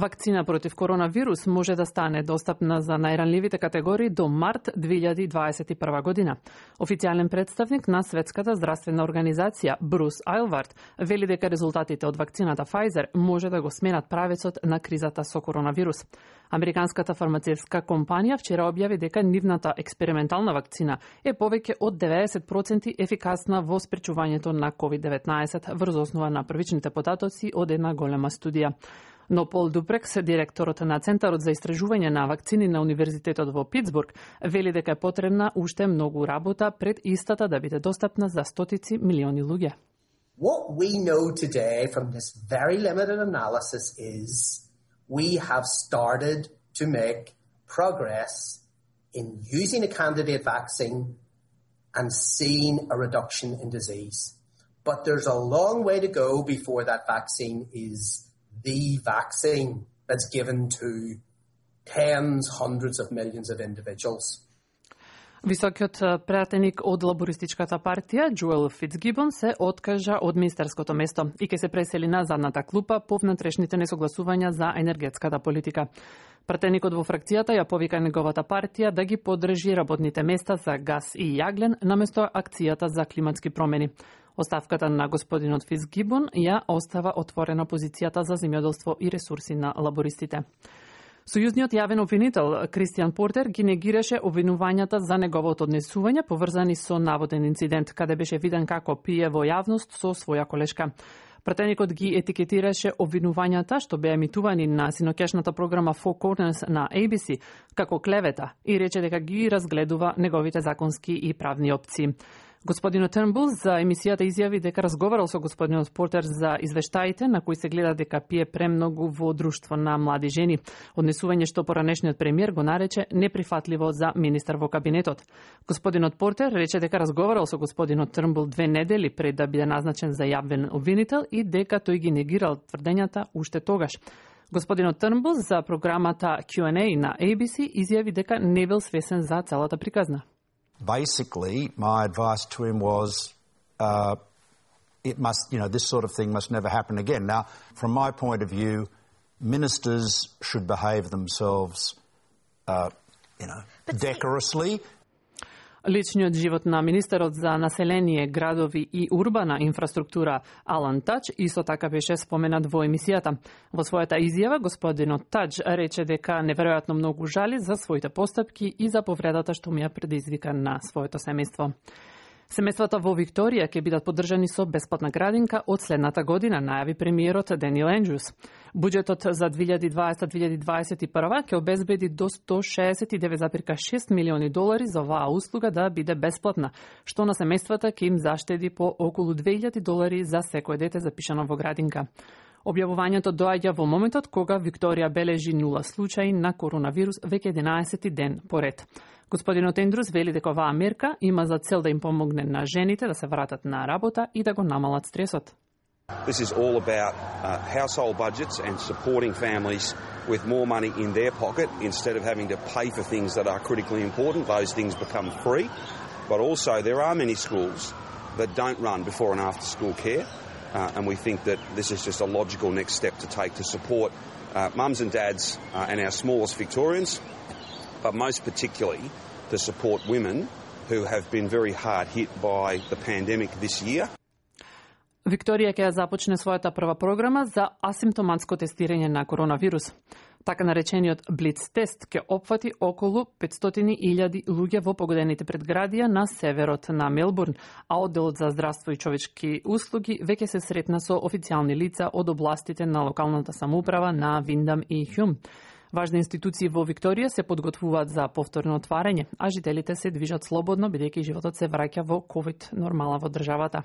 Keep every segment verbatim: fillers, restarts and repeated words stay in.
Вакцина против коронавирус може да стане достапна за најранливите категории до март две илјади дваесет и прва година. Официјален представник на Светската здравствена организација Брус Айлвард вели дека резултатите од вакцината Pfizer може да го сменат правецот на кризата со коронавирус. Американската фармацевтска компанија вчера објави дека нивната експериментална вакцина е повеќе од деветдесет проценти ефикасна во спречувањето на ковид деветнаесет врз основа на првичните податоци од една голема студија. Но Пол Дупрекс, директорот на Центарот за истражување на вакцини на Универзитетот во Питсбург, вели дека е потребна уште многу работа пред истата да биде достапна за стотици милиони луѓе. What we know today from this very limited analysis is we have started to make progress in using a candidate vaccine and seeing a reduction in disease. But there's a long way to go before that vaccine is the vaccine that's given to tens, hundreds of millions of individuals. Високиот пратеник од лабористичката партија, Джоел Фицгибон, се откажа од министерското место и ќе се пресели на задната клупа по внатрешните несогласувања за енергетската политика. Пратеникот во фракцијата ја повика неговата партија да ги поддржи работните места за газ и јаглен наместо акцијата за климатски промени. Оставката на господинот Фицгибон ја остава отворена позицијата за земјоделство и ресурси на лабористите. Сојузниот јавен обвинител Кристијан Портер ги негираше обвинувањата за неговото однесување поврзани со наводен инцидент каде беше виден како пие во јавност со своја колешка. Пратеникот ги етикетираше обвинувањата што беа емитувани на синоќешната програма Four Corners на A B C како клевета и рече дека ги разгледува неговите законски и правни опции. Господинот Трнбул за емисијата изјави дека разговарал со господинот Портер за извештаите на кои се гледа дека пие премногу во друштво на млади жени, однесување што поранешниот премиер го нарече неприфатливо за министар во кабинетот. Господинот Портер рече дека разговарал со господинот Трнбул две недели пред да биде назначен за јавен обвинител и дека тој ги негирал тврдењата уште тогаш. Господинот Трнбул за програмата Q and A на A B C изјави дека не бил свесен за целата приказна. Basically, my advice to him was, uh, it must, you know, this sort of thing must never happen again. Now, from my point of view, ministers should behave themselves, uh, you know, decorously. Личниот живот на министерот за население, градови и урбана инфраструктура Алан Тач исто така беше споменат во емисијата. Во својата изјава господинот Тач рече дека неверојатно многу жали за своите постапки и за повредата што му ја предизвика на своето семејство. Семејствата во Викторија ќе бидат поддржани со бесплатна градинка од следната година, најави премиерот Даниел Ендрюс. Буџетот за две илјади дваесета до две илјади дваесет и прва ќе обезбеди до сто шеесет и девет зарез и шест милиони долари за оваа услуга да биде бесплатна, што на семејствата ќе им заштеди по околу две илјади долари за секој дете запишано во градинка. Објавувањето доаѓа во моментот кога Викторија бележи нула случаи на коронавирус веќе единаесети ден поред. Господинот Ендрус вели дека оваа мерка има за цел да им помогне на жените да се вратат на работа и да го намалат стресот. This is all about uh, household budgets and supporting families with more money in their pocket instead of having to pay for things that are critically important. Those things become free. But also there are many schools that don't run before and after school care. Uh, and we think that this is just a logical next step to take to support uh, mums and dads uh, and our smallest Victorians, but most particularly to support women who have been very hard hit by the pandemic this year. Викторија ќе започне својата прва програма за асимптоматско тестирање на коронавирус. Така наречениот Блиц тест ќе опфати околу петстотини илјади луѓе во погодените предградија на северот на Мелбурн, а одделот за здравство и човечки услуги веќе се сретна со официјални лица од областите на локалната самоуправа на Виндам и Хјум. Важни институции во Викторија се подготвуваат за повторно отварање, а жителите се движат слободно бидејќи животот се враќа во ковид нормала во државата.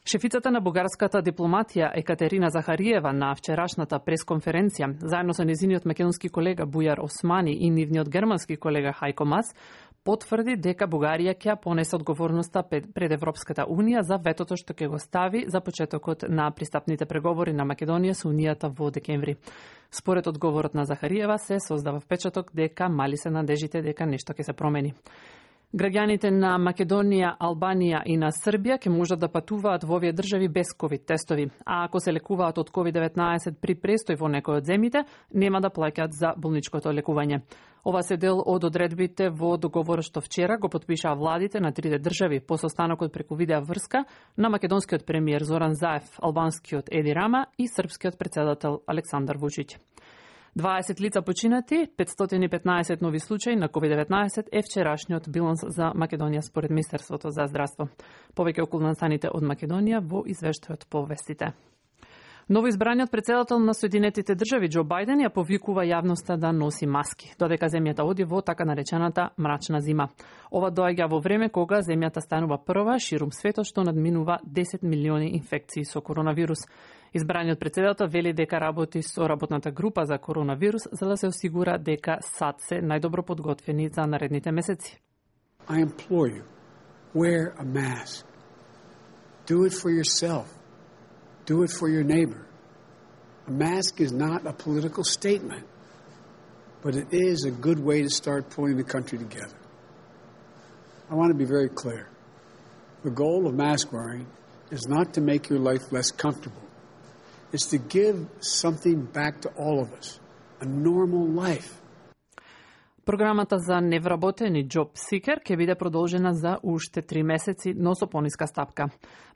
Шефицата на бугарската дипломатија Екатерина Захариева на вчерашната пресконференција, заедно со незиниот македонски колега Бујар Османи и нивниот германски колега Хајко Мас, потврди дека Бугарија ќе понесе одговорноста пред Европската Унија за ветото што ќе го стави за почетокот на пристапните преговори на Македонија со Унијата во декември. Според одговорот на Захариева се создава впечаток дека мали се надежите дека нешто ќе се промени. Граѓаните на Македонија, Албанија и на Србија ќе можат да патуваат во овие држави без ковид тестови, а ако се лекуваат од ковид деветнаесет при престој во некој од земјите, нема да плаќаат за болничкото лекување. Ова се дел од одредбите во договорот што вчера го потпишаа владите на трите држави по состанокот преку видеа врска на македонскиот премиер Зоран Заев, албанскиот Еди Рама и српскиот претседател Александар Вучиќ. дваесет лица починати, петстотини и петнаесет нови случаи на ковид деветнаесет е вчерашниот биланс за Македонија според Министерството за здравство. Повеќе околу настаните од Македонија во извештајот по вестите. Новоизбраниот претседател на Соединетите држави Џо Бајден ја повикува јавноста да носи маски, додека земјата оди во така наречената мрачна зима. Ова доаѓа во време кога земјата станува прва ширум светот што надминува десет милиони инфекции со коронавирус. Избраниот претседател вели дека работи со работната група за коронавирус за да се осигура дека САД се најдобро подготвени за наредните месеци. I implore you, wear a mask. Do it for yourself. Do it for your neighbor. A mask is not a political statement, but it is a good way to start pulling the country together. I want to be very clear. The goal of mask wearing is not to make your life less comfortable. It's to give something back to all of us, a normal life. Програмата за невработени Job Seeker ќе биде продолжена за уште три месеци, но со пониска стапка.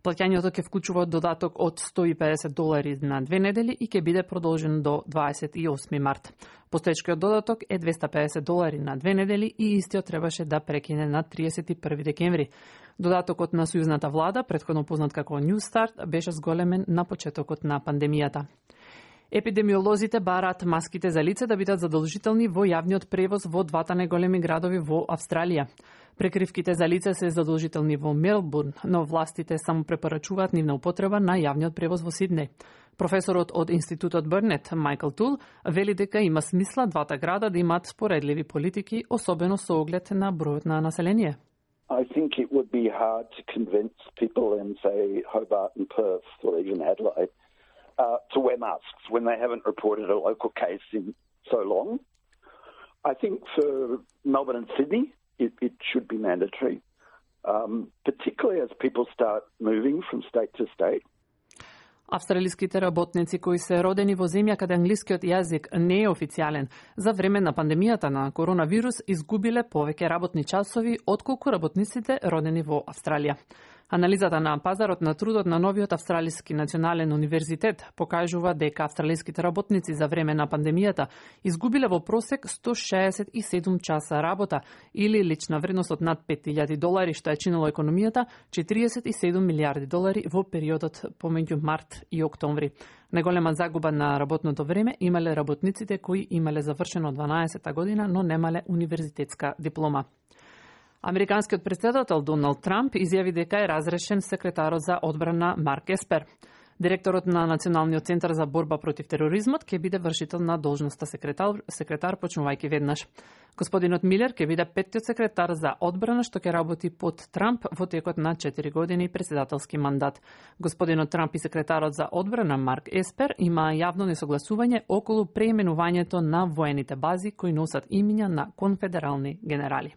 Плаќањето ќе вклучува додаток од сто и педесет долари на две недели и ќе биде продолжен до дваесет и осми март. Постоечкиот додаток е двеста педесет долари на две недели и истиот требаше да прекине на триесет и први декември. Додатокот на сојузната влада, претходно познат како New Start, беше зголемен на почетокот на пандемијата. Епидемиолозите бараат маските за лице да бидат задолжителни во јавниот превоз во двата најголеми градови во Австралија. Прекривките за лице се задолжителни во Мелбурн, но властите само препорачуваат нивна употреба на јавниот превоз во Сиднеј. Професорот од Институтот Бернет, Майкл Тул, вели дека има смисла двата града да имаат споредливи политики, особено со оглед на бројот на население. I think it would be hard to convince people in, say, Hobart and Perth or even Adelaide uh, to wear masks when they haven't reported a local case in so long. I think for Melbourne and Sydney, it, it should be mandatory, um, particularly as people start moving from state to state. Австралиските работници кои се родени во земја каде англискиот јазик не е официјален, за време на пандемијата на коронавирус изгубиле повеќе работни часови отколку работниците родени во Австралија. Анализата на пазарот на трудот на новиот Австралиски национален универзитет покажува дека австралиските работници за време на пандемијата изгубиле во просек сто шеесет и седум часа работа или лична вредност од над пет илјади долари, што е чинило економијата четириесет и седум милиарди долари во периодот помеѓу март и октомври. Најголема загуба на работното време имале работниците кои имале завршено дванаесета година, но немале универзитетска диплома. Американскиот претседател Доналд Трамп изјави дека е разрешен секретарот за одбрана Марк Еспер. Директорот на Националниот центар за борба против тероризмот ќе биде вршител на должноста секретар, секретар почнувајќи веднаш. Господинот Милер ќе биде петтиот секретар за одбрана што ќе работи под Трамп во текот на четири години председателски мандат. Господинот Трамп и секретарот за одбрана Марк Еспер има јавно несогласување околу преименувањето на воените бази кои носат имиња на конфедерални генерали.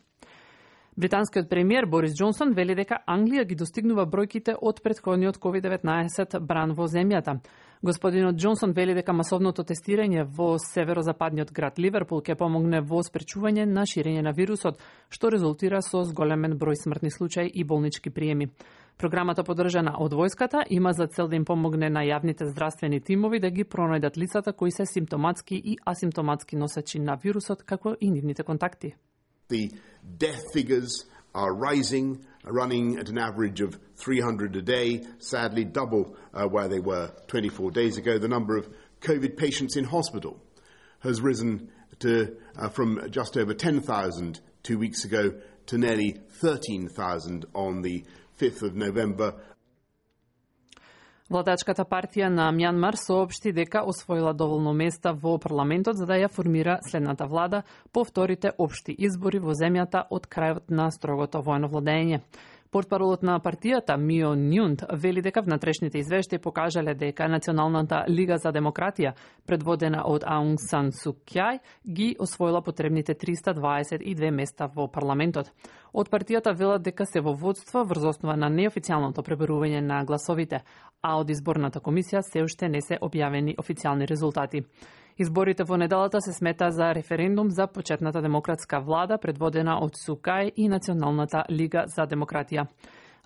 Британскиот премиер Борис Џонсон вели дека Англија ги достигнува бројките од претходниот ковид деветнаесет бран во земјата. Господинот Џонсон вели дека масовното тестирање во северозападниот град Ливерпул ќе помогне во спречување на ширење на вирусот, што резултира со зголемен број смртни случаи и болнички приеми. Програмата поддржана од војската има за цел да им помогне на јавните здравствени тимови да ги пронајдат лицата кои се симптоматски и асимптоматски носачи на вирусот, како и нивните контакти. The death figures are rising, running at an average of three hundred a day, sadly double uh, where they were twenty-four days ago. The number of COVID patients in hospital has risen to, uh, from just over ten thousand two weeks ago to nearly thirteen thousand on the fifth of November. Владачката партија на Мјанмар соопшти дека освоила доволно места во парламентот за да ја формира следната влада по вторите општи избори во земјата од крајот на строгото воено владење. Портпаролот на партијата Мио Нјунт вели дека внатрешните извештаи покажале дека Националната лига за демократија, предводена од Аунг Сан Су Кјај, ги освоила потребните триста дваесет и две места во парламентот. Од партијата велат дека се во водство врз основа на неофицијалното пребројување на гласовите, а од изборната комисија се уште не се објавени официјални резултати. Изборите во неделата се смета за референдум за почетната демократска влада, предводена од Сукај и Националната лига за демократија.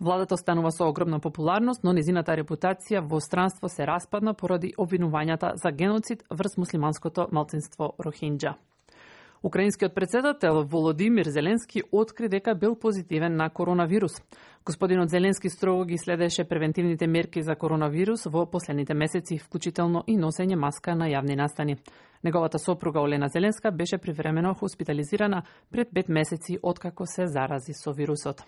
Владата останува со огромна популарност, но незината репутација во странство се распадна поради обвинувањата за геноцид врз муслиманското малцинство Рохинџа. Украинскиот председател Володимир Зеленски откри дека бил позитивен на коронавирус. Господинот Зеленски строго ги следеше превентивните мерки за коронавирус во последните месеци, вклучително и носење маска на јавни настани. Неговата сопруга Олена Зеленска беше привремено хоспитализирана пред пет месеци откако се зарази со вирусот.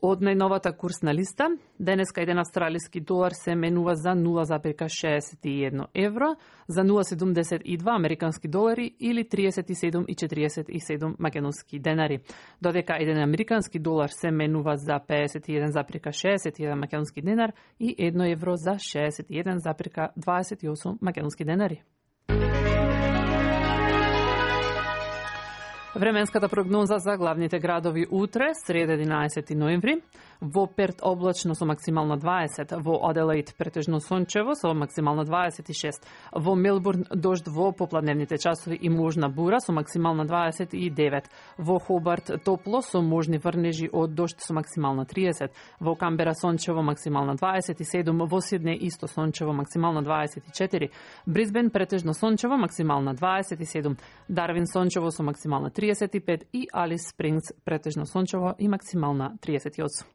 Од најновата курсна листа, денеска еден австралиски долар се менува за нула зарез шеесет и едно евро, за нула зарез седумдесет и два американски долари или триесет и седум зарез четириесет и седум македонски денари, додека еден американски долар се менува за пеесет и еден зарез шеесет и еден македонски денар и едно евро за шеесет и еден зарез дваесет и осум македонски денари. Временската прогноза за главните градови утре, среда единаесети ноември, во Перт облачно со максимална дваесет, во Аделаид претежно сончево со максимална дваесет и шест, во Мелбурн дожд во попладневните часови и можна бура со максимална дваесет и девет, во Хобарт топло со можни врнежи од дожд со максимална триесет, во Камбера сончево максимална дваесет и седум, во Сиднеј исто сончево максимална дваесет и четири, Брисбен претежно сончево максимална дваесет и седум, Дарвин сончево со максимална триесет и пет и Алис Спрингс претежно сончево и максимална триесет и осум.